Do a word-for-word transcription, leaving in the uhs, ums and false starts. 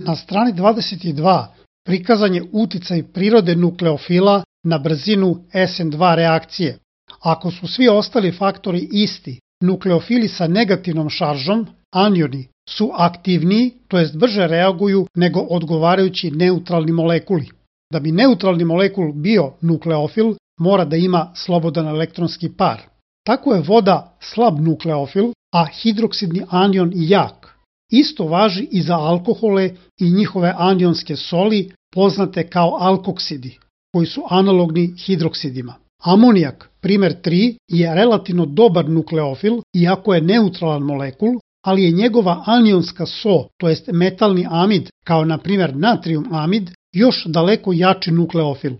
Na strani dvadeset dva prikazan je uticaj prirode nukleofila na brzinu S N dva reakcije. Ako su svi ostali faktori isti, nukleofili sa negativnom šaržom, anioni, su aktivniji, to jest brže reaguju nego odgovarajući neutralni molekuli. Da bi neutralni molekul bio nukleofil, mora da ima slobodan elektronski par. Tako je voda slab nukleofil, a hidroksidni anion jak. Isto važi i za alkohole i njihove anionske soli, poznate kao alkoksidi, koji su analogni hidroksidima. Amonijak, primer tri, je relativno dobar nukleofil, iako je neutralan molekul, ali je njegova anionska so, to jest metalni amid, kao na primjer natrium amid, još daleko jači nukleofil.